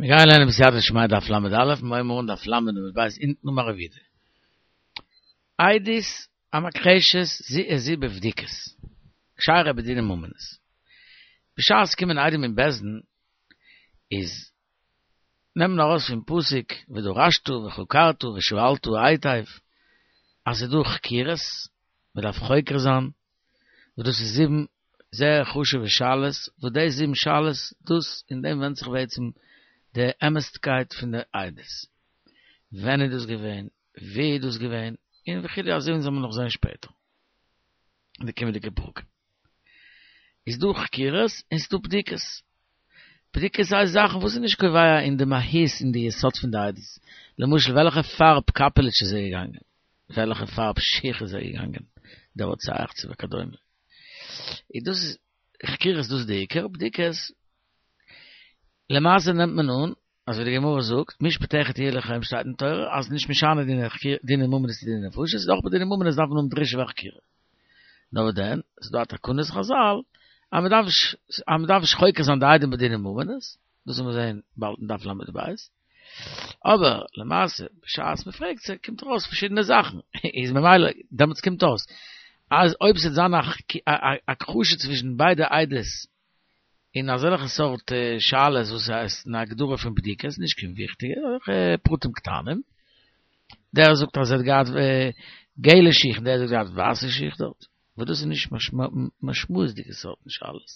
מיר גייען לערנען בסייעתא דשמיא דף ל"א, מיר הייבן אן דף ל' עמוד ב' אונטן אמר רב יהודה. עדות המכחשת זו את זו בבדיקות, כשרה בדיני ממונות. בשעת ס'קומען עדים אין בית דין איז נעמט מען ארויס פון פסוק ודרשת וחקרת ושאלת היטב אז ס'איז דא חקירות, מ'דארף חוקר זיין, וואס דאס איז זיבן זייער חשוב'ע שאלות, וואס די זיבן שאלות, דאס אין דעם ווענדט זיך בעצם די אמת'קייט פון די עדות. ווען איז דאס געווען, וואו איז דאס געווען, און וכו' אזוי ווי אונז וועלן נאך זען שפעטער אין די קומענדיגע פרקים. איז דא חקירות און ס'דא בדיקות. בדיקות הייסט זאכן וואס איז נישט קובע אין די מהות אין די יסוד פון די עדות. למשל וועלכע פארב קאפעליטש איז ער געגאנגען, וועלכע פארב שיך איז ער געגאנגען, דער רוצח צו וכדומה. איז דאס איז חקירות דאס איז די עיקר, בדיקות למעשה נעמט מען אן אזוי ווי די גמרא זאגט משפט אחד יהיה לכם שטייט אין תורה אז נישט משנה דיני ממונות צו דיני נפשות איז אויך ביי דיני ממונות דארף מען האבן דרישה וחקירה נאר וואס דען ס'איז דא א תקנת חזל אז מען דארף נישט אז מען דארף נישט חוקר זיין די עדים בדיני ממונות דאס וועלן מיר זעהן באלד אין דף ל"ב. אבער למעשה בשעת מען פרעגט זיי קומט ארויס פארשידענע זאכן, איז ממילא דעמאלטס קומט אויס אז אויב ס'וועט זיין א הכחשה צווישן ביידע עדות אין אזעלכע סארט שאלות וואס הייסט אין הגדרה פון בדיקות, נישט קיין וויכטיגע, אזעלכע פרטים קטנים, דער זאגט אז ער האט געהאט געלע שיך און דער זאגט ער האט געהאט ווייסע שיך דארט, וואס דאס איז נישט משמעות'דיגע סארטן שאלות.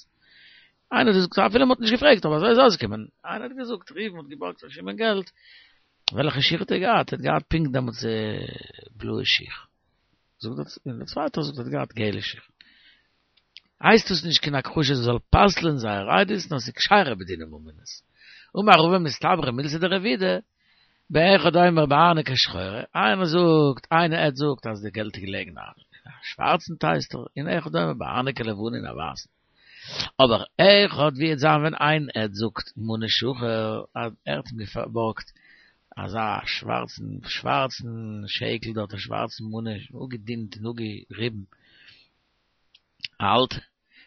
איינער האט געזאגט אפילו מען האט נישט געפרעגט אבער אזוי איז אויסגעקומען, איינער האט געזאגט ראובן האט געבארגט פון שמעון געלט, וועלכע שיך האט ער געהאט? ער האט געהאט פונקט דעמאלטס בלויע שיך, זאגט דער און דער צווייטער זאגט ער האט געהאט געלע שיך. הייסט דאס נישט קיין הכחשה זאל פסל'ען זייער עדות נאר ס'איז כשרה בדיני ממונות. אמר רבא מסתברא מילתא דרב יהודה, באחד אומר בארנקא שחורה, איינער זאגט, איין עד זאגט אז די געלט איז געלעגן אין א שווארצן טייסטער, און אחד אומר בארנקא לבנה אין א ווייסן. אבער אחד ווי וועט זיין ווען איין עד זאגט מנה שחור אז ער האט אים געבארגט אזא שווארצן שווארצן שקל דארט א שווארצן מנה אפגעדינט און אפגעריבן אלט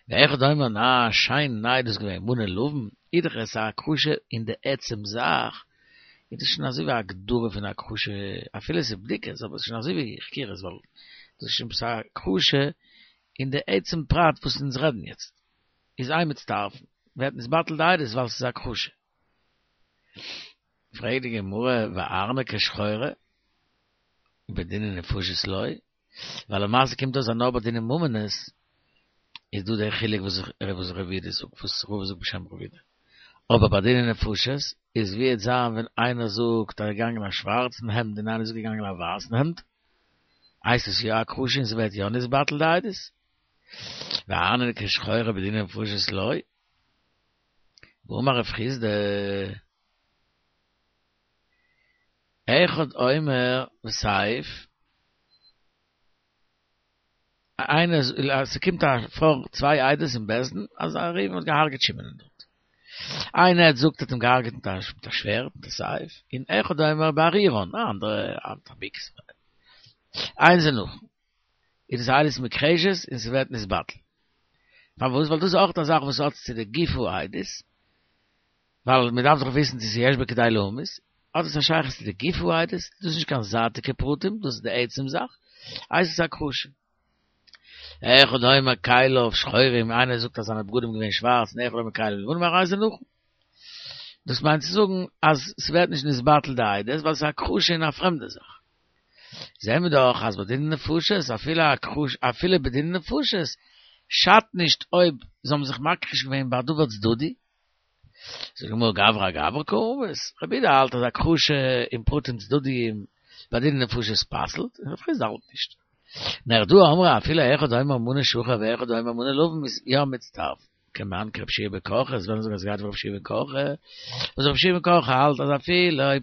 ואחד אומר נא שיין ניי דאס געווען מנה לבן איז דאך עס א הכחשה אין די עצם זאך איז דאס שוין אזוי ווי א הגדרה פון הכחשה אפילו עס איז בדיקות אבער עס איז שוין אזוי ווי חקירות ווייל דאס איז שוין עפעס א הכחשה אין די עצם פרט וואס אונז רעדן יעצט, איז אין מצטרפין, ווערט נתבטל די עדות ווייל ס'איז הכחשה. פרעגט די גמרא וארנקא שחורה בדיני נפשות לא, ווייל למעשה קומט אויס אז נאר ביי דיני ממונות איז דא דער חילוק וואס וואס רב יהודה זאגט, וואס רבא זאגט בשם רב יהודה, אבער ביי דיני נפשות איז ווי וועט זיין ווען איינער זאגט אז ער איז געגאנגען א שווארצן העמד און איינער זאגט געגאנגען א ווייסן העמד, הייסט עס יא הכחשה און ס'ווערט יא נתבטל די עדות? וארנקא שחורה בדיני נפשות לא? והאמר רב חסדא אחד אומר בסייף איינער ס'קומט פאר צוויי עדות אין בית דין אז ראובן האט געהארגעט שמעון דארט איין עד זאגט ער האט אים געהארגעט מיט א שווערד מיט א סייף און אחד אומר בארירון א אנדערע מיט א ביקס אין זה נכון איז דאס עדות מוכחשת און ס'ווערט נתבטל פארוואס ווייל דאס איז אויך א זאך וואס האט צו די גוף העדות ווייל מען דארף דאך וויסן צו ס'איז יש בה כדי להמית, האט עס א שייכות צו די גוף העדות, דאס איז נישט קיין זייטיגע פרטים, דאס איז די עצם זאך, הייסט עס הכחשה. אחד אומר כליו שחורים, איינער זאגט אז זיינע בגדים געווען שווארץ, און אחד אומר כליו לבנים, הרי זה נכון. דאס מיינט צו זאגן אז ס'ווערט נישט נתבטל די עדות, ווייל ס'איז הכחשה אין א פרעמדע זאך. זעהן מיר דאך אז בדיני נפשות, אפילו הכחשה, אפילו בדיני נפשות, שאדט נישט אויב זיי האבן זיך מכחיש געווען ביי א דבר צדדי, זאגט די גמרא גברא אגברא קא אמרת, רב יהודה האלט אז הכחשה אין פרטים צדדיים ביי דיני נפשות פסל'ט, און רב חסדא האלט נישט. נהרדעא אמרי אפילו אחד אומר מנה שחור ואחד אומר מנה לבן איז יא מצטרף, כמאן כרבי יהושע בן קרחה, עס וועלן זאגן אז ס'גייט ווי רבי יהושע בן קרחה, וואס רבי יהושע בן קרחה האלט אז אפילו אויב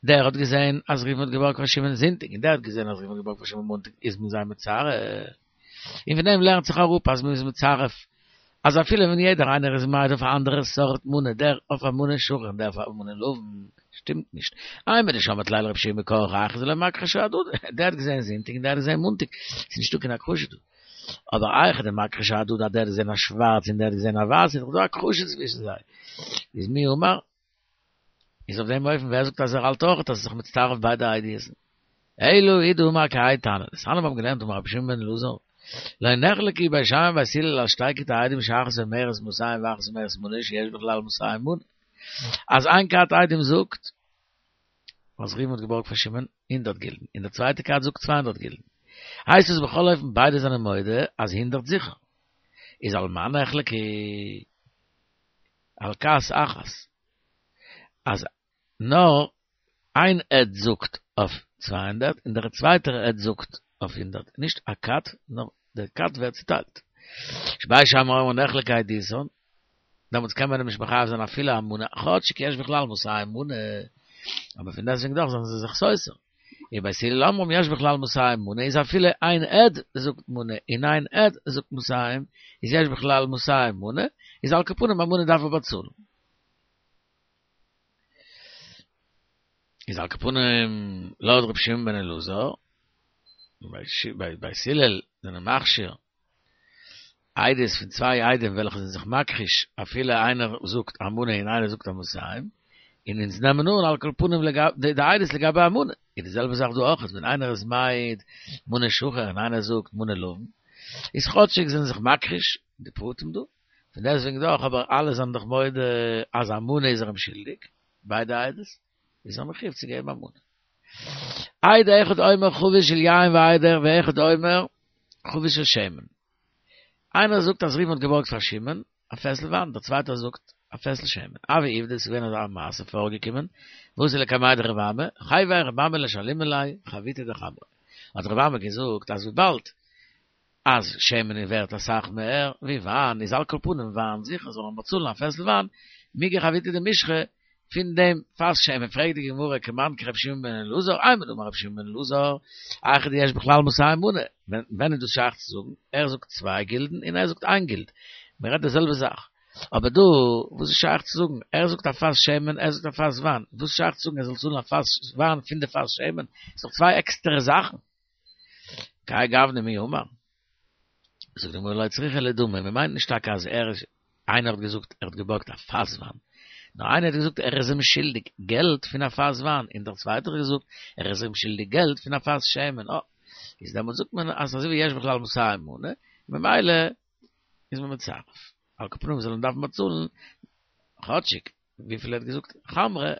דער האט געזען אז ראובן האט געבארגט פאר שמעון זונטאג און דער האט געזען אז ראובן האט געבארגט פאר שמעון מאנטאג איז מען זיי מצרף, און פון דעם לערנט זיך אראפ אז מען איז מצרף אז אפילו ווען יעדער איינער איז מעיד אויף א אנדערע סארט מנה, דער אויף א מנה שחור און דער אויף א מנה לבן, שטימט נישט. אימר דשמעת ליה לרבי יהושע בן קרחה היכא דלא מכחשי אהדדי, דער האט געזען זונטאג און דער האט געזען מאנטאג, ס'איז נישטא קיין הכחשה דא. אבער היכא דמכחשי אהדדי אז דער האט געזען א שווארץ און דער האט געזען א ווייס איז דאך דא הכחשה צווישן זיי. איז מי אמר? איז אויף דעם אופן ווער זאגט אז ער האלט אויך אז ס'איז זיך מצטרף ביידע עדות'ן? אלא הוא דאמר כהאי תנא, דתניא מיר האבן געלערנט אמר רבי שמעון בן אלעזר, לא נחלקו בית שמאי ובית הלל על שתי כתי עדים שאחת אומרת מאתים ואחת אומרת מנה שיש בכלל מאתים מנה. אז איין כת עדים זאגט אז ראובן האט געבארגט פון שמעון הונדערט גילדן און דער צווייטע כת זאגט 200 גילדן. הייסט עס בכל אופן ביידע זענען מודה אז הונדערט זיכער. איז על מה נחלקו? על כת אחת. אז נאר איין עד זאגט אויף 200 און דער צווייטער עד זאגט אויף הונדערט. נישט א כת, נאר דער כת ווערט צוטיילט. שבית שמאי אומרים נחלקה עדותן, דעמאלטס קען מען אים נישט מחייב זיין אפילו א מנה, כאטשיג יש בכלל מאתים מנה, אבער פון דעסטוועגן דאך זענען זיי זיך סותר. און בית הלל אומרים יש בכלל מאתים מנה איז אפילו איין עד זאגט מנה און איין עד זאגט מאתים איז יש בכלל מאתים מנה, איז על כל פנים א מנה דארף ער באצאלן. איז על כל פנים לויט רבי שמעון בן אלעזר, בית הלל זענען מכשיר עדות פון צוויי עדים וועלכע זענען זיך מכחיש אפילו איינער זאגט א מנה און איינער זאגט א מאתים, און אונז נעמען אן על כל פנים די עדות לגבי א מנה, איז די זעלבע זאך דא אויך, ווען איינער איז מעיד מנה שחור און איינער זאגט מנה לבן, איז כאטשיג זענען זיך מכחיש די פרטים דא, פון דעסטוועגן דאך אבער אלע זענען דאך מודה אז א מנה איז ער אים שולדיג, ביידע עדות, איז ער מחויב צו געבן א מנה. עד אחד אומר חבית של יין ועד ואחד אומר חבית של שמן. איינער זאגט אז ראובן האט געבארגט פאר שמעון א פעסל וויין, דער צווייטער זאגט א פעסל שמן. הוה עובדא, ס'איז געווען אזא מעשה פארגעקומען, ואתו לקמיה דרבי אמי, חייביה רבי אמי לשלומי ליה חביתא דחמרא. האט רבי אמי געזאגט אז וויבאלד אז שמן איז ווערט אסאך מער ווי וויין, איז על כל פנים וויין זיכער זאל מען באצאלן א פעסל וויין, מיגו חביתא דמשחא, פון דעם פאס שמן, פרעגט די גמרא כמאן כרבי שמעון בן אלעזר, אימר דאמר רבי שמעון בן אלעזר, היכא דיש בכלל מאתים מנה, ווען איז דאס שייך צו זאגן, ער זאגט צוויי גילדן און ער זאגט איין גילד, מען רעדט די זעלבע זאך, אבער דא וואס איז שייך צו זאגן, ער זאגט א פאס שמן, ער זאגט א פאס וויין, וואס איז שייך צו זאגן ער זאל צאלן א פאס וויין פון די פאס שמן, ס'איז דאך צוויי עקסטערע זאכן. כהאי גוונא מי אמר. זאגט די גמרא לא צריכא לדמי, מען מיינט נישט טאקע אז ער איז, איינער האט געזאגט ער האט געבארגט א פאס וויין, נאר איינער האט געזאגט ער איז אים שולדיג געלט פון א פאס וויין, און דער צווייטער האט געזאגט ער איז אים שולדיג געלט פון א פאס שמן, אה, איז דעמאלטס זאגט מען אז אזוי ווי יש בכלל מאתים מנה, ממילא איז מען מצרף. על כל פנים זאל מען דארפן באצאלן כאטשיג וויפיל ער האט געזאגט חמרא,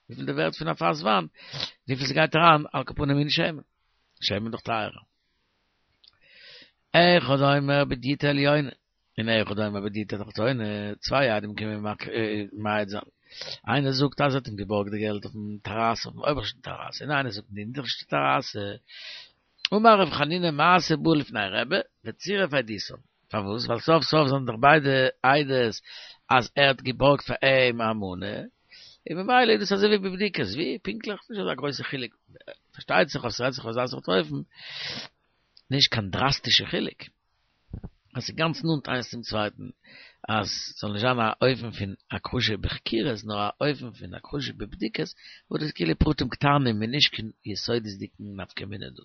וויפיל די ווערט פון א פאס וויין, וויפיל ס'גייט אריין על כל פנים אין שמן, שמן איז דאך טייערער. אחד אומר בדיוטא עליונה, און אחד אומר בדיוטא תחתונה, צוויי עדים קומען מעיד זיין, איינער זאגט אז ער האט אים געבארגט די געלט אויפן טעראסע, אויפן אויבערשטן טעראסע, און איינער זאגט אין די אונטערשטע טעראסע, אמר רב חנינא מעשה בא לפני רבי וצירף עדותם, פארוואס? ווייל סוף סוף זענען דאך ביידע עדות אז ער האט געבארגט פאר אים א מנה, און ממילא איז דאס אזוי ווי בבדיקות, ווי פונקטליך? נישט אזא גרויסע חילוק, פארשטייט זיך אז ס'רעדט זיך אויף אזא סארט אופן, נישט קיין דראסטישע חילוק. אז ס'איז גאנץ נאנט איינס צום צווייטן, אז ס'זאל נישט זיין א אופן פון הכחשה בחקירות, נאר א אופן פון הכחשה בבדיקות, וואס דאס איז כאילו פרטים קטנים און נישט קיין יסודות'דיגן נפקא מינה דא.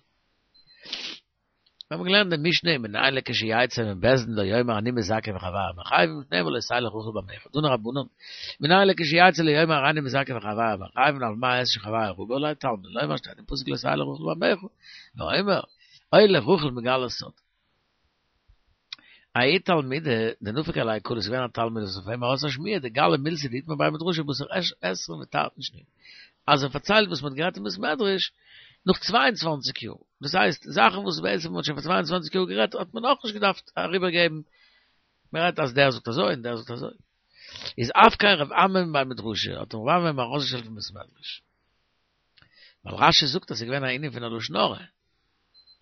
מיר האבן געלערנט די משנה ומנין לכשיצא מבית דין לא יאמר אני מזכה וחבריי מחייבים שנאמר לא תלך רכיל בעמיך תנו רבנן מנין לכשיצא לא יאמר הריני מזכה וחבריי מחייבים על מה אעשה שחבריי רבו עלי תלמוד לומר שטייט אין פסוק לא תלך רכיל בעמיך ואומר הולך רכיל מגלה סוד ההוא תלמידא דנפק עליה קלא איז געווען א תלמיד וואס אויף אים ארויס א שמועה דגלי מילתא דאיתמר בי מדרשא בתר עשרין ותרתין שנין אז ער פארציילט וואס מ'האט גערעדט אין בית מדרש נאך 22 יאר דאס הייסט זאכן וואס בעצם מ'האט שוין פאר 22 יאר גערעדט האט מען נאכנישט געדארפט אריבערגעבן מ'רעדט אז דער זאגט אזוי און דער זאגט אזוי איז אפקיה רב אמי מבי מדרשא האט אים רב אמי ארויסגעשטעלט פון בית מדרש ווייל רשי זאגט אז ס'איז געווען א ענין פון א לשון הרע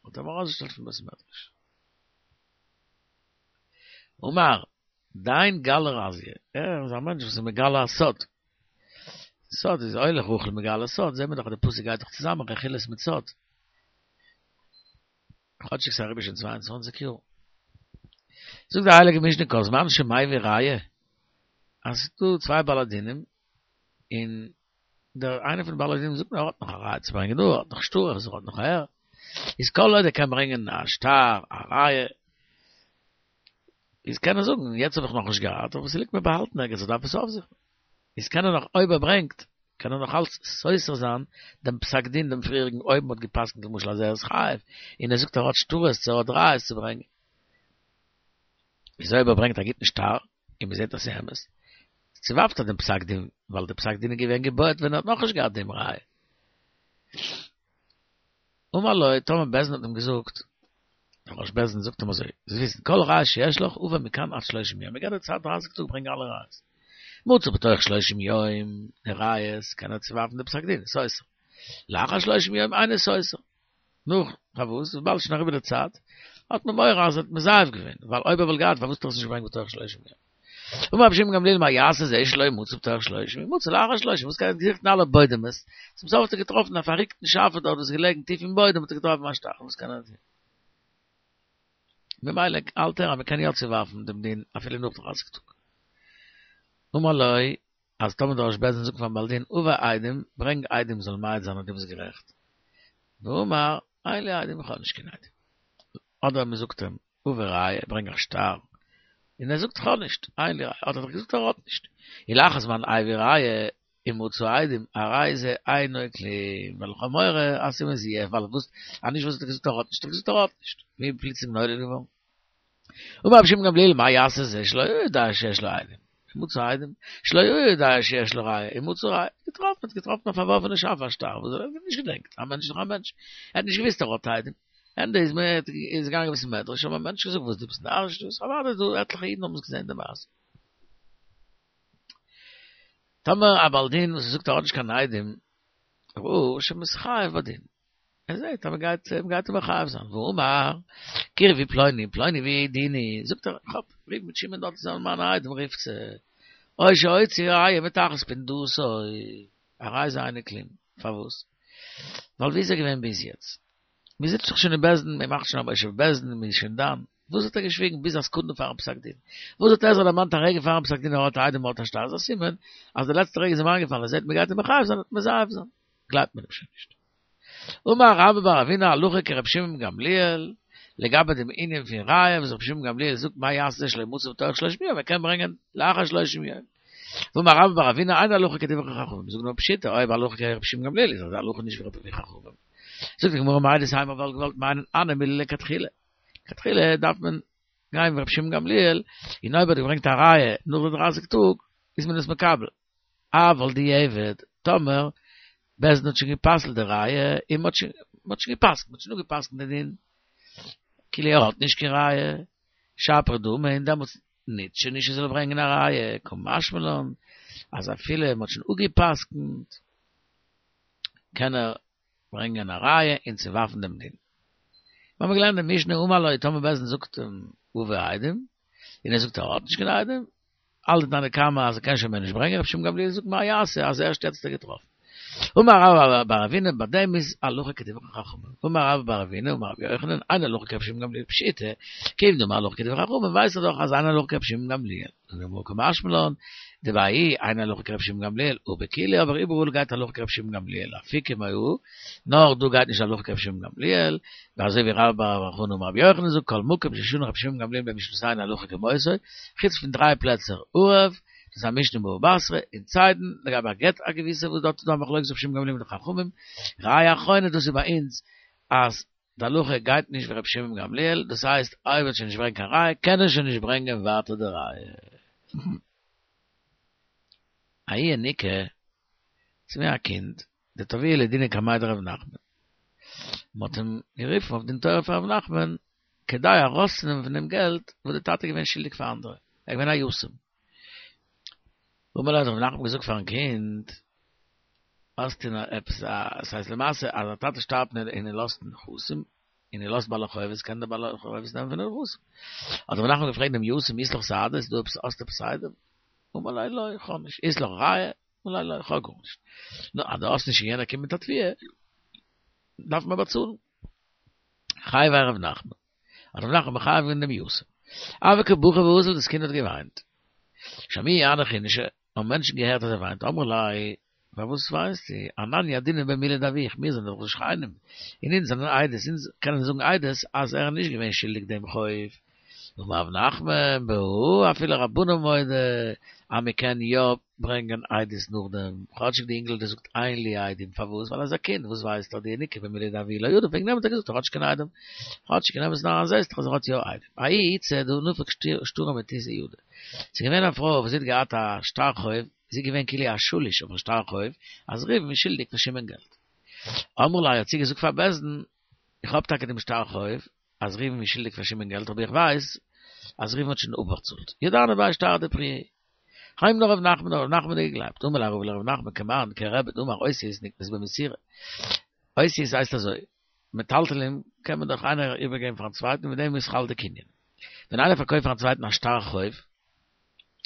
האט אים ארויסגעשטעלט פון בית מדרש. אמר, דיין גלי רזיא, ער איז א מענטש וואס איז מגלה א סוד. סוד איז הולך רכיל מגלה סוד, זעהן מיר דאך אז די פסוק גייט דאך צוזאמען רכילות מיט סוד. כאטשיג ס'איז אריבער שוין 22 יאר. זאגט די הייליגע משנה כל זמן שמביא ראיה, אז ס'איז דא צוויי בעלי דינים, און דער איינער פון די בעלי דינים זאגט מיר ער האט נאך א ראיה צו ברענגען דא, ער האט נאך שטרות, ער האט נאך אהער, איז כל עוד ער קען ברענגען א שטר, א ראיה, איז קען ער זאגן, יעצט האב איך נאכנישט געהאט, אבער ס'ליגט מיר באהאלטן ערגעץ, איך דארף עס אויפזוכן. איז קען ער נאך, אויב ער ברענגט. קען ער נאך אלץ סותר זיין דעם פסק דין דעם פריעריגן אויב מ'האט גע'פסק'נט למשל אז ער איז חייב, און ער זאגט ער האט שטרות צו ער האט ראיות צו ברענגען. איז אויב ער ברענגט א גוטן שטר און מ'זעט אז ס'איז אמת, צעווארפט ער דעם פסק דין, ווייל דער פסק דין איז געווען געבויעט ווען ער האט נאכנישט געהאט דעם ראיה. אמר לו, טאמער בית דין האט אים געזאגט, דער ראש בית דין זאגט אים אזוי, זאלסט וויסן, כל ראיה שיש לך, הבא מכאן עד שלושים יום, מ'געט דיר צייט דרייסיג טאג ברענג אלע ראיות. מצא בתוך שלושים יום די ראיות, קען ער צעווארפן די פסק דין, סותר. לאחר שלושים יום אינו סותר. נאך, פארוואס? וויבאלד שוין אריבער די צייט, האט מען מורא אז ער האט מזייף געווען, ווייל אויב ער וואלט געהאט, פארוואס האט ער עס נישט געברענגט בתוך שלושים יום? אמר רבי שמעון גמליאל מה יעשה זה שלא מצא בתוך שלושים מצא לאחר שלושים וואס קען ער געזוכט אין אלע בוידעמעס צום סוף האט ער געטראפן א פארריקטן שאפע דארט וואס איז געלעגן טיף אין בוידעם האט ער געטראפן א שטר וואס קען ער טון ממילא האלט ער אז מען קען יא צוווארפן דעם דין אפילו נאך דרייסיג טאג אמר לו אז טאמער דער ראש בית דין זאגט פארן בעל דין הבא עדים ברענג עדים זאלן מעיד זיין אז דו ביסט גערעכט ואמר אין לי עדים איך האב נישט קיין עדים אדער מען זאגט אים הבא ראיה, ברענג א שטר. און ער זאגט כ'האב נישט, אין לי ראיה, האט ער דאך געזאגט ער האט נישט. ולאחר זמן הביא ראיה, ומצא עדים, הרי זה אינו כלום, ווייל איך האב מורא אז ס'איז מזויף, ווייל וואס, אז נישט וואס האט ער געזאגט ער האט נישט, האט ער געזאגט ער האט נישט. ווי איז פלוצלינג נולד געווארן? אמר רבי שמעון גמליאל מה יעשה זה שלא יודע שיש לו עדים, ומצא עדים, שלא יודע שיש לו ראיה, ומצא ראיה, געטראפן, האט געטראפן א פארווארפענע שאפע א שטר, וואס ער האט נישט געדענקט, א מענטש איז דאך א מענטש, ער האט נישט געוואוסט ער האט עדים. ענדע איז מען איז געגאנגען אין בית מדרש האבן מענטשן געזאגט וואס דו ביסט נאריש דאס אוודאי דא עטליכע אידן האבן עס געזען די מעשה. טאמער א בעל דין וואס זאגט ער האט נישט קיין עדים ראהו שמתחייב בדין ער זעט אז מען גייט מען גייט אים מחייב זיין ואמר קרבו פלוני פלוני ויעידוני זאגט ער איך האב ראובן מיט שמעון דארט זענען מיינע עדים רופט זיי או שהוציא ראיה מתחת פונדתו הרי זה אינו כלום פארוואס ווייל ווי איז ער געווען ביז יעצט מען זיצט דאך שוין אין בית דין, מען מאכט שוין א מושב בית דין, מען איז שוין דן. וואס האט ער געשוויגן ביז א סעקונדע פארן פסק דין? וואס האט ער זיך דערמאנט א רגע פארן פסק דין ער האט עדים האט א שטר איז א סימן אז די לעצטע רגע איז אים איינגעפאלן ער זעט מען גייט אים מחייב זיין וועט מזייף זיין. גלייבט מען אים שוין נישט. אמר רבה בר אבינא הלכה כרבי שמעון גמליאל, לגבי דעם ענין פון ראיה וואס רבי שמעון גמליאל זאגט מה יעשה זה שלא מצא בתוך שלושים יום, ער קען ברענגען לאחר שלושים יום. ואמר רבה בר אבינא אין הלכה כדברי חכמים, זאגט נאר פשיטא אויב הלכה כרבי שמעון גמליאל איז די הלכה נישט ווי חכמים. זאגט די גמרא מהו דתימא וואלט געוואלט מיינען הני מילי לכתחילה. לכתחילה דארף מען גיין ווי רבי שמעון גמליאל, און אויב האט ער געברענגט א ראיה נאך די דרייסיג טאג איז מען עס מקבל. אבל דיעבד, טאמער בית דין האט שוין גע'פסל'ט די ראיה, און מ'האט שוין מ'האט שוין גע'פסק'נט, מ'האט שוין אפגע'פסק'נט די דין, כאילו ער האט נישט קיין ראיה, שפיר דמי, און דעמאלטס ניצט שוין נישט ער זאל ברענגען א ראיה, קא משמע לן אז אפילו מ'האט שוין אפגע'פסק'נט קען ער ברענגען א ראיה און צוווארפן דעם דין. מיר האבן געלערנט די משנה אמר לו טאמער בית דין זאגט אים הבא עדים, און ער זאגט ער האט נישט קיין עדים, האלט די תנא קמא אז ער קען שוין מער נישט ברענגען, רבי שמעון גמליאל זאגט מה יעשה אז ערשט יעצט האט ער געטראפן. אמר רבה בר אבינא ביי דעם איז הלכה כדברי חכמים, אמר רבה בר אבינא אמר רבי יוחנן אין הלכה כרבי שמעון גמליאל פשיטא, כיון דאמר הלכה כדברי חכמים ווייסט ער דאך אז אין הלכה כרבי שמעון גמליאל, זאגט די גמרא קא משמע לן, דבההיא אין הלכה כרבי שמעון גמליאל, הא בכולהו אבער איבעראל גייט הלכה כרבי שמעון גמליאל, לאפוקי מהא, נאר דא גייט נישט הלכה כרבי שמעון גמליאל, ואזוי ווי רבה בר בר חנה אמר רבי יוחנן זאגט כל מקום ששנה רבי שמעון גמליאל במשנתנו הלכה כמותו, חוץ פון דריי פלעצער ערב, דאס איז א משנה אין בבא בתרא, און צידון, לגבי א גט א געוויסע וואס דארט איז דא א מחלוקת רבי שמעון גמליאל מיט די חכמים, ראיה אחרונה דאס איז ביי אונז אז די הלכה גייט נישט ווי רבי שמעון גמליאל, דאס הייסט אויב ער וועט שוין נישט ברענגען קיין ראיה קען ער שוין נישט ברענגען ווייטער די ראיה. ההוא ינוקא, ס'איז געווען א קינד, דתבעוה לדינא קמיה דרב נחמן. מ'האט אים גערופן אויף דין תורה פאר רב נחמן כדי ארויסצונעמען פון אים געלט וואס די טאטע איז געווען שולדיג פאר אנדערע, ער איז געווען א יתום. אמר ליה האט רב נחמן געזאגט פארן קינד, האסטו נאר עפעס א, ס'הייסט למעשה אז א טאטע שטארבט און ער לאזט נכסים, און ער לאזט בעלי חובות, קען דער בעל חובות נעמען פון די נכסים. האט רב נחמן געפרעגט דעם יתום, אית לך סהדי, איז דא עפעס, האסטו עפעס עדים? אמר ליה לא, איך האב נישט. אית לך ראיה? אמר ליה לא, איך האב גארנישט. נו, אז דו האסט נישט און יענער קומט מיט א תביעה, דארף מען באצאלן. חייביה רב נחמן. האט רב נחמן מחייב געווען דעם יתום. הוה קא בכי ואזיל, דאס קינד האט געוויינט. שמעוה הנך אינישי, האבן מענטשן געהערט אז ער וויינט, אמרו ליה, פארוואס וויינסטו? אנן ידעינן ביה מילי דאבוך, מיר זענען דאך די שכנים, און אונז זענען עדות, אונז קענען זאגן עדות אז ער איז נישט געווען שולדיג דעם חוב. אמר רב נחמן בהא אפילו רבנן מודה אז מען קען יא ברענגען עדות נאכדעם, כאטשיג די אינגל האט געזאגט אין לי עדים, פארוואס? ווייל ער איז א קינד, וואס ווייסט ער דאינוקא במילי דאבוה לא ידע, וועגן דעם האט ער געזאגט ער האט נישט קיין עדים, כאטשיג אין אמת'ן אריין זעסט דאך אז ער האט יא עדים. ההיא איתתא דנפק שטרא מתותי ידה. ס'איז געווען א פרוי וואס זי האט געהאט א שטר חוב, זי איז געווען כאילו א שליש אויפן שטר חוב, אז ראובן איז שולדיג פאר שמעון געלט. אמרה ליה האט זי געזאגט פאר בית דין, איך האב טאקע דעם שטר חוב, אז ראובן איז שולדיג פאר שמעון געלט, אבער איך ווייס אז ראובן האט שוין אפבאצאלט. ידענא ביה שטרא דפריעא. היימנא רב נחמן האט רב נחמן געגלייבט, אמר ליה רבא לרב נחמן כמאן כרבי דאמר אותיות נקנות במסירה. אותיות הייסט אזוי, מטלטלין קען מען דאך איינער איבערגעבן פארן צווייטן מיט דעם איז חל די קנין. ווען איינער פארקויפט פארן צווייטן א שטר חוב,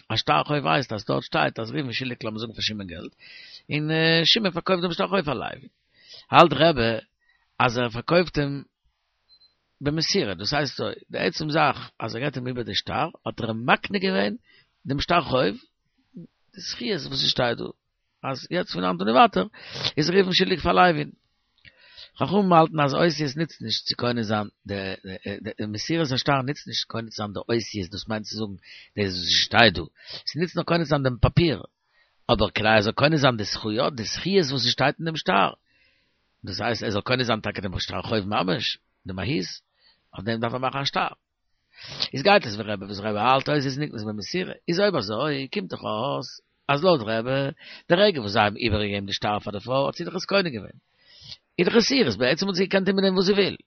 א שטר חוב הייסט אז דארט שטייט אז ראובן איז שולדיג לאמיר זאגן פאר שמעון געלט, און שמעון פארקויפט דעם שטר חוב פאר לוי. האלט רבי אז ער פארקויפט אים במסירה, דאס הייסט אזוי, די עצם זאך אז ער געבט אים איבער די שטר, האט ער אים מקנה געווען דעם שטר חוב, די זכיות וואס עס שטייט דא, אז יעצט פון היינט און ווייטער איז ראובן שולדיג פאר לוי'ן. חכמים האלטן אז אותיות נוצט נישט צו קונה זיין די מסירת השטר נוצט נישט קונה צו זיין די אותיות דאס מיינט צו זאגן דאס וואס שטייט דא, עס נוצט נאר קונה צו זיין דעם פאפיר, אבער כדי ער זאל קונה זיין די זכויות, די זכיות וואס עס שטייט אין דעם שטר, דאס הייסט ער זאל קונה זיין טאקע דעם שטר חוב ממש, די מהות, אויף דעם דארף ער מאכן א שטר. איז גייט עס ווי רבי וואס רבי האלט אותיות נקנות במסירה, איז אויב אזוי קומט דאך אויס אז לויט רבי, די רגע וואס זיי האבן איבערגעגעבן די שטר פאר די פרוי האט זי דאך עס קונה געווען, איז דאך עס אירס, בעצם האט זי געקענט טון מיט דעם וואס זי וויל,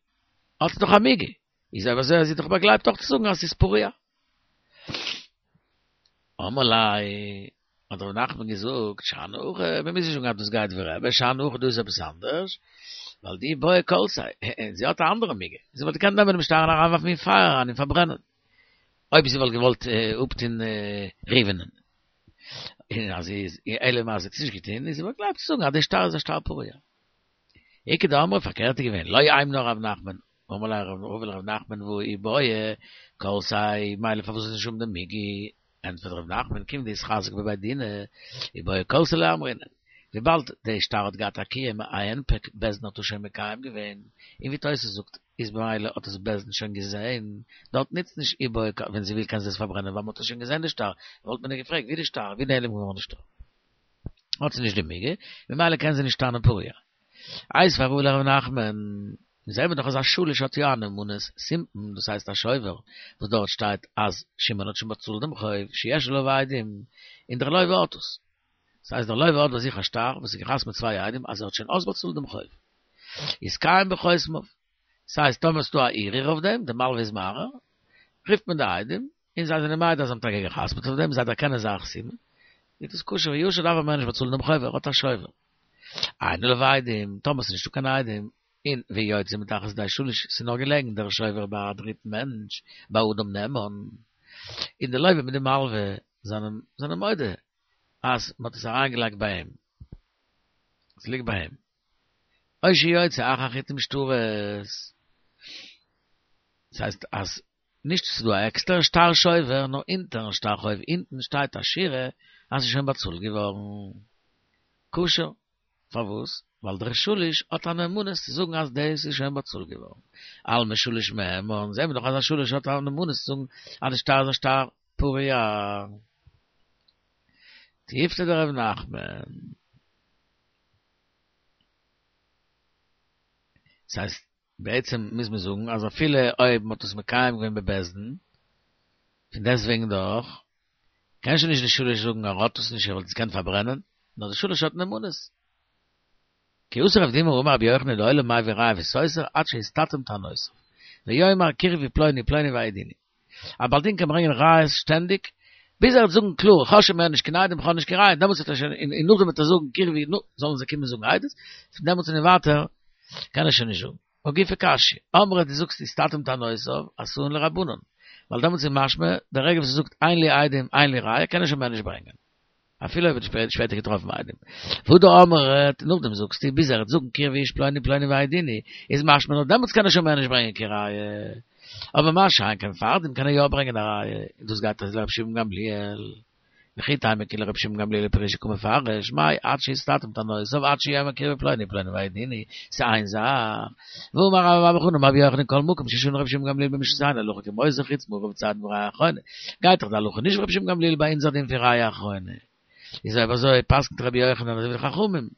האט זי דאך א מיגו, איז אויב אזוי איז זי דאך באגלייבט אויך צו זאגן אז ס'איז פרוע. אמר ליה, האט ר' נחמן געזאגט, שאני הכא, מ'מוז נישט זאגן אז דאס גייט ווי רבי, שאני הכא דא איז עפעס אנדערש, ווייל דאי בעיא כלתיה, זי האט א אנדערע מיגו, זי וואלט געקענט נעמען דעם שטר און אריינווארפן אין פייער אריין און פארברענען, אויב זי וואלט געוואלט אפטון ראובנ'ען. און אז זי איז, אלא מאי זי האט עס נישט געטון, איז זי באגלייבט צו זאגן אז דער שטר איז א שטר פרוע. איכא דאמרי פארקערט איז געווען, לא היימנא ר' נחמן, אמר ליה רבא לר' נחמן והא אי בעיא כלתיה, מילא פארוואס זאל זי נישט האבן די מיגו? ענטפערט ר' נחמן כיון דאיתחזק בבי דינא, אי בעיא כלתיה לא אמרינן. וויבאלד די שטר האט געהאט א קיום א הנפק בית דין האט עס שוין מקיים געווען, און ווי תוס' זאגט איז במילא האט עס בית דין שוין געזעהן, דארט נוצט נישט אי בעיא ווען זי וויל קען זי עס פארברענען ווייל מען האט עס שוין געזעהן די שטר, וואלט מען איר געפרעגט ווי די שטר ווי נעלם געווארן די שטר. האט זי נישט די מיגו, ממילא קען זי נישט טענה'ן פרוע. איתיביה רבא לר' נחמן, זעהן מיר דאך אז א שליש האט יא א נאמנות, סימפון, דאס הייסט א שובר, וואס דארט שטייט אז שמעון האט שוין באצאלט דעם חוב, שיש עליו עדים, און דער לוה האט עס. דאס הייסט דער לוה האט ביי זיך א שטר וואס איז געחתמ'ט מיט צוויי עדים אז ער האט שוין אויסבאצאלט דעם חוב. איז קיים בחותמיו. דאס הייסט טאמער ס'דא א ערעור אויף דעם, דער מלווה איז מערער, רופט מען די עדים, און זיי זענען מעיד אז זיי האבן טאקע געחתמ'ט אויף דעם, זיי דערקענען זייער חתימה, איז דאס כשר וישר דארף ער מער נישט באצאלן דעם חוב, ער האט א שובר. אין עליו עדים, טאמער ס'איז נישטא קיין עדים, און ויוצא מתחת ידי שליש, ס'איז נאר געלעגן דער שובר ביי א דריטן מענטש, ביי אדם נאמן, און די לוה מיט די מלווה זענען זענען מודה אז מ'האט עס אריינגעלייגט ביי אים, ס'ליגט ביי אים. או שיוצא אחר חיתום שטרות, דאס הייסט אז נישט ס'איז דא א עקסטערע שטר שובר, נאר אונטערן שטר חוב אונטן שטייט א שורה אז ס'איז שוין באצאלט געווארן. כשר. פארוואס? ווייל דער שליש האט א נאמנות צו זאגן אז דאס איז שוין באצאלט געווארן. אלמא שליש מהימן, זעהן מיר דאך אז א שליש האט א נאמנות צו זאגן אז די שטר איז א שטר פרוע. תיובתא דרב נחמן. ס'הייסט, בעצם מוז מען זאגן אז אפילו אויב מ'האט עס מקיים געווען בבית דין, פון דעסטוועגן דאך, קען שוין נישט די שליש זאגן ער האט עס נישט ער וואלט עס געקענט פארברענען, נאר די שליש האט נאמנות. כי אתא רב דימי אמר רבי יוחנן לעולם מביא ראיה וסותר עד שיסתתם טענותיו, ויאמר קרבי פלוני פלוני והעידוני. א בעל דין קען ברענגען ראיות שטענדיג, ביז ער וועט זאגן קלאר איך האב שוין מער נישט קיין עדים איך האב נישט קיין ראיה, דעמאלטס וועט ער שוין, און נאכדעם וועט ער זאגן קרבי נו, זאלן זיי קומען זאגן עדות, פון דעמאלטס און ווייטער קען ער שוין נישט זאגן. הא גופא קשיא, אמרת דו זאגסט יסתתם טענותיו, אתאן לרבנן, ווייל דעמאלטס איז משמע, די רגע וואס ער זאגט אין לי עדים אין לי ראיה קען ער שוין מער נישט ברענגען. אפילו אויב ער האט שפעטער געטראפן עדים. והדר אמרת, נאכדעם זאגסטו, ביז ער וועט זאגן קרבי איש פלוני פלוני והעידוני, איז משמע נאר דעמאלטס קען ער שוין מער נישט ברענגען קיין ראיה. אבער מה שאין כן פארדעם קען ער יא ברענגען א ראיה, און דאס גייט אזוי לרבי שמעון גמליאל. וכי תימא כי לרבי שמעון גמליאל פרושי קא מפרש, מאי עד שיסתתם טענותיו עד שיאמר קרי בפלוני פלוני והעידוני, ס'איז איין זאך. והאמר רבה בר בר חנה אמר רבי יוחנן כל מקום ששנה רבי שמעון גמליאל במשנתנו הלכה כמותו חוץ מערב צידון וראיה אחרונה. גייט דאך די הלכה נישט ווי רבי שמעון גמליאל ביי אונזער דין פון ראיה אחרונה. איז אויב אזוי פסק'נט רבי יוחנן אזוי ווי די חכמים.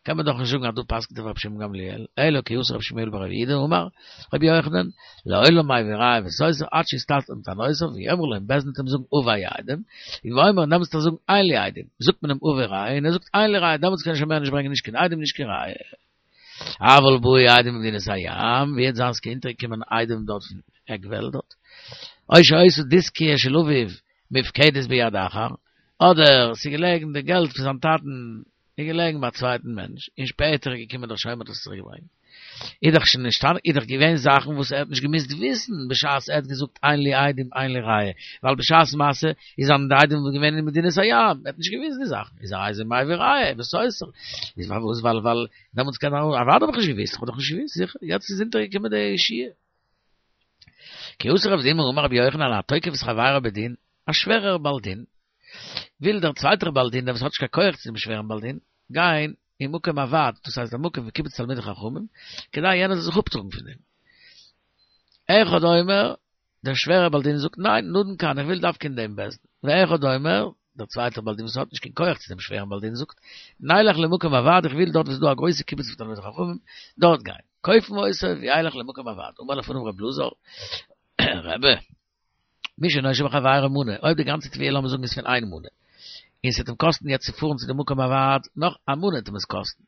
קען מען דאך נישט זאגן אז דא פסק'נט ער ווי רבי שמעון גמליאל, אלא כי אתא רבי שמואל בר רב יהודה אמר רבי יוחנן, לעולם מביא ראיה וסותר עד שיסתתם טענותיו ויאמרו לו און בית דין וועט אים זאגן הבא עדים, ואומר און דעמאלטס וועט ער זאגן אין לי עדים, זאגט מען אים הבא ראיה און ער זאגט אין לי ראיה דעמאלטס קען ער שוין מער נישט ברענגען נישט קיין עדים נישט קיין ראיה. אבל באו עדים ממדינת הים, ווי וועט זיין ס'איז אונטערגעקומען עדים דארט פון עק וועלט דארט, או שהיתה דיסקיא של אביו מופקדת ביד אחר, אדער ס'איז געלעגן די געלט פון זיין טאטן איז געלעגן ביי א צווייטן מענטש, און שפעטער איז געקומען דער שומר האט עס צוריק געברענגט. איז דאך שוין נישט, איז דאך געווען זאכן וואס ער האט נישט געמוזט וויסן בשעת ער האט געזאגט אין לי עדים אין לי ראיה, ווייל בשעת מעשה איז זיין די עדים געווען אין מדינת הים, ער האט נישט געוואוסט די זאכן, איז הרי זה מביא ראיה וסותר, איז פארוואס ווייל ווייל דעמאלטס קען ער אוודאי האב איך נישט געוואוסט, איך האב דאך נישט געוואוסט, זיכער, יעצט איז אונטערגעקומען די ישועה. כי אתא רב דימי אמר רבי יוחנן התוקף את חברו בדין, א שווערער בעל דין, וויל דער צווייטער בעל דין, דער וואס האט נישט קיין כח צו דעם שווערן בעל דין, גיין אין מקום הוועד, דאס הייסט דער מקום פון קיבוץ תלמידי חכמים, כדי יענער זאל זיך אפטראגן פון דעם. אחד אומר, דער שווערער בעל דין זאגט, ניין, נדון כאן, איך וויל דווקא אין דעם בית דין. ואחד אומר, דער צווייטער בעל דין וואס האט נישט קיין כח צו דעם שווערן בעל דין זאגט, נלך למקום הוועד, איך וויל דארט וואו ס'איז דא א גרויסע קיבוץ פון תלמידי חכמים, דארט גיין. כופין אותו וילך למקום הוועד. אמר לפניו ר' אלעזר, רבי, מי שנושה בחבירו מנה, אויב די גאנצע תביעה לאמיר זאגן איז פון איין מנה, און ס'וועט אים קאסטן יעצט צו פארן צו די מקום הוועד נאך א מנה וועט אים עס קאסטן,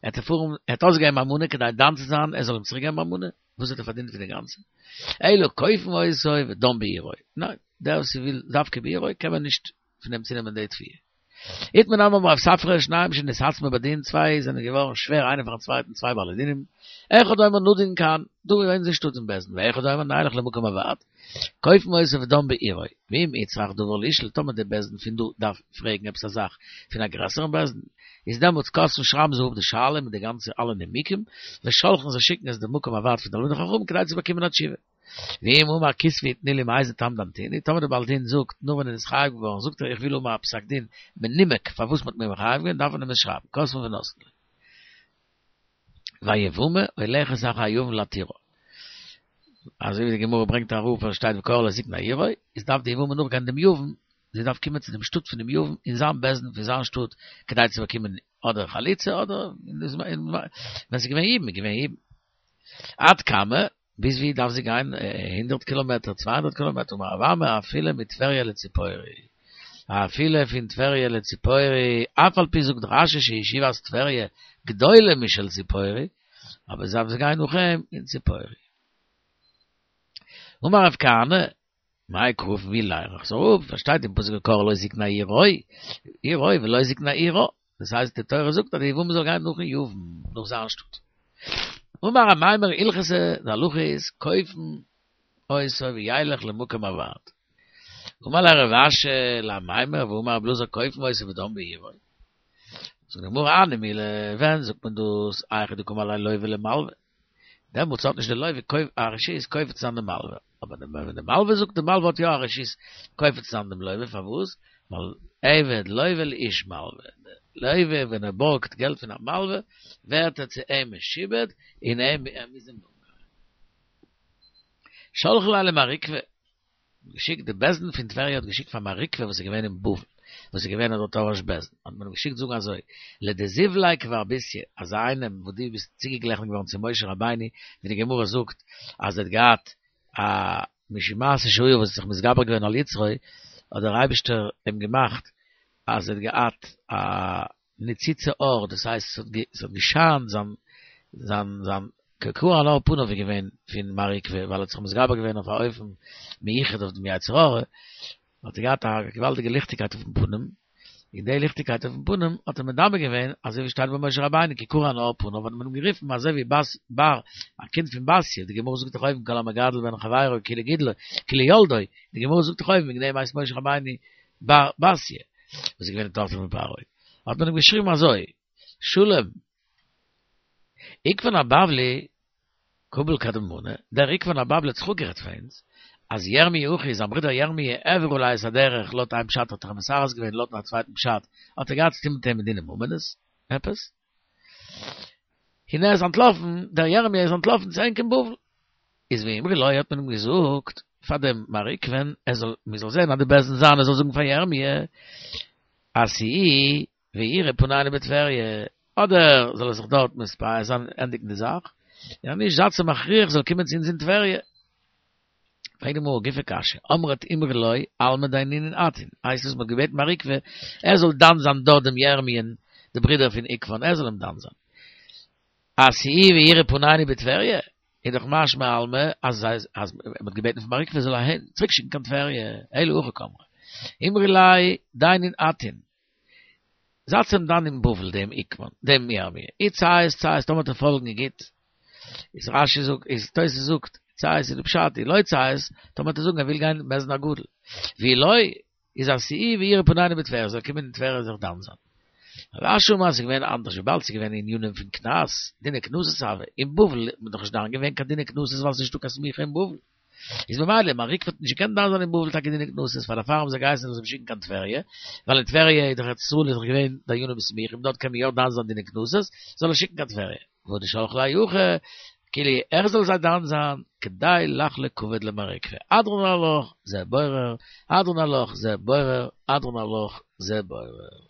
ער וועט פארן, ער האט אויסגעגעבן א מנה כדי דן צו זיין ער זאל אים צוריק געבן א מנה, וואס האט ער פארדינט פון די גאנצע? אלא כופין אותו ודן בעירו, ניין, דער וואס וויל דווקא בעירו קען מען נישט פון אים צונעמען די תביעה. איתמר נמי אמר רב ספרא שניים שנתעצמו בדין, צוויי זענען געווארן שווער איינער פארן צווייטן צוויי בעלי דינים, אחד אומר נדון כאן, דא אין אונזער שטאט אין בית דין, ואחד אומר נלך למקום הוועד, כופין אותו ודן בעירו, ואם איצטריך דבר לישאל, טאמער די בית דין פון דא דארף פרעגן עפעס א זאך פון א גרעסערן בית דין, איז דעמאלטס כותבין שרייבן זיי אפ די שאלה מיט די גאנצע אלע נימוקים, ושולחין זיי שיקן עס די מקום הוועד פון תלמידי חכמים כדי צו באקומען א תשובה. ואם אמר כתבו ותנו לי מאיזה טעם דנתוני, טאמער דער בעל דין זאגט, נאר ווען ער איז חייב געווארן, זאגט ער איך וויל האבן א פסק דין מנומק פארוואס מ'האט מיר מחייב געווען, דארף מען אים עס שרייבן, כותבין ונותנין לו. והיבמה הולכת אחר היבם להתירו. אזוי ווי די גמרא ברענגט אראפ אז שטייט וקרא לא תקנה עירו, איז דארף די יבמה נאכגיין דעם יבם, זי דארף קומען צו דעם שטאט פון דעם יבם אין זיין בית דין פון זיין שטאט כדי צו באקומען אדער חליצה אדער ווען ס'איז געווען יבום איז געווען יבום. עד כמה, ביז ווי דארף זי גיין, הונדערט קילאמעטער, צוויי הונדערט קילאמעטער, אמר רב אמי אפילו מטבריה לציפורי, אפילו פון טבריה לציפורי, אף על פי זאגט רש"י שישיבת טבריה גדולה משל ציפורי, אבער זי דארף גיין נאך אים אין ציפורי. אמר רב כהנא, מאי קרא פון ווי לערן איך עס אראפ, פארשטייט אין פסוק וקרא לא תקנה עירו, עירו ולא תקנה עירה, דאס הייסט די תורה זאגט אז די יבמה זאל גיין נאכן יבם, נאך זיין שטאט. אמר אמימר הלכתא, די הלכה איז כופין אותו וילך למקום הוועד. אמר ליה רב אשי לאמימר והאמר רבי אלעזר כופין אותו ודן בעירו. זאגט די גמרא הני מילי, ווען זאגט מען דאס, היכא דקאמר ליה לוה למלווה. דעמאלטס האט נישט די לוה א רשות כופה צו זיין די מלווה, אבער ווען די מלווה זאגט די מלווה האט יא א רשות כופה צו זיין דעם לוה, פארוואס? ווייל עבד לוה לאיש מלווה, די לוה ווען ער בארגט געלט פון א מלווה ווערט ער צו אים משועבד און ער מוז אים נאכגיין. שלחו ליה למר עוקבא. געשיקט די בית דין פון טבריה האט געשיקט פאר מר עוקבא וואס איז געווען אין בבל וואס איז געווען דארט א ראש בית דין האט מען אים געשיקט זאגן אזוי לדזיו ליה כבר בתיה אזא איינעם וואס דו ביסט צוגעגליכן געווארן צו משה רבינו ווי די גמרא זאגט אז ער האט געהאט א משום מעשה שהיה וואס האט זיך מתגבר געווען על יצרו האט דער אייבישטער אים געמאכט אז ער האט געהאט א ניצוצי אור, דאס הייסט ס'האט געשיינט זיין זיין זיין כי קרן עור פניו איז געווען פון מר עוקבא ווייל ער האט זיך מתגבר געווען אויף א אופן מיוחד אויף דעם יצר הרע, האט ער געהאט א געוואלדיגע ליכטיגקייט אויפן פנים, און די ליכטיגקייט אויפן פנים האט ער מדמה געווען אזוי ווי שטייט ביי משה רבינו כי קרן עור פניו האט מען אים גערופן אזוי ווי בת בר א קינד פון בתיה, די גמרא זאגט דאך אויבן כל המגדל בן חברו כאילו גידלו כאילו ילדו, די גמרא זאגט דאך אויבן וועגן דעם הייסט משה רבינו בר בתיה, וואס איז געווען די טאכטער פון פרעה, האט מען אים געשריבן אזוי, שלום, עוקבן הבבלי, קביל קדמנא, דער עוקבן הבבלי האט זיך אפגערעדט פאר אונז, אז ירמי' אחי, זיין ברודער ירמי' העביר עלי את הדרך, לויט איין פשט האט ער אים מסרס געווען, לויטן א צווייטן פשט האט ער געהאט צוטון מיט אים אין דיני ממונות, עפעס. און ער איז אנטלאפן, דער ירמי' איז אנטלאפן צו ענק אין בבל. איז ואמרי לו האט מען אים געזאגט פאר דעם מר עוקבא'ן ער זאל, מען זאל זען אז די בית דין זיינע זאל זאגן פאר ירמי' אז צאו ויראו פנינו בטבריה, אדער זאל ער זיך דארט מתפייס זיין ענדיגן די זאך, און אז נישט זייטס אים מכריח זאל קומען צו אונז אין טבריה. פרעגט די גמרא גופא קשיא, אמרת אמרי לו אלמא דיינינן אתון, הייסט עס מ'האט געבעטן מר עוקבא ער זאל דן זיין דארט דעם ירמי'ן די ברודער פון עוקבא'ן ער זאל אים דן זיין. אז צאו ויראו פנינו בטבריה, איז דאך משמע אלמא אז אז מ'האט געבעטן פון מר עוקבא זאל אהין צוריק שיקן קיין טבריה, אלא הכי קאמרי, אמרי ליה דיינין אתון, זייטס אים דן אין בבל דעם עוקבא'ן, דעם ירמי', אי ציית ציית טאמער וועט ער פאלגן איז גוט, איז רש"י זאגט, איז תוס' זאגט, ציית איז די פשט, אי לא ציית, טאמער וועט ער זאגן ער וויל גיין אין בית דין הגדול, ואי לא, איז אז צאו ויראו פנינו בטבריה, זאל קומען אין טבריה זיך דן זיין. רב אשי אמר ס'איז געווען אנדערש וויבאלד ס'איז געווען ענינים פון קנס, דיני קנסות הוה, אין בבל איז מען דאך נישט דן געווען קיין דיני קנסות ווייל ס'איז נישטא קיין סמיכה אין בבל. איז ממילא מר עוקבא האט נישט געקענט דן זיין אין בבל טאקע דיני קנסות פאר דערפאר האבן זיי געהייסן זאל אים שיקן קיין טבריה, ווייל אין טבריה איז דאך ארץ ישראל איז דאך געווען דיינים סמוכים דארט קען מען יא דן זיין דיני קנסות, זאל ער שיקן קיין טבריה. והא דשלחו ליה הכי, כאילו ער זאל זיי דן זיין, כדי לחלוק כבוד למר עוקבא. הדרן עלך, זה בורר, הדרן עלך, זה בורר, הדרן עלך, זה בורר.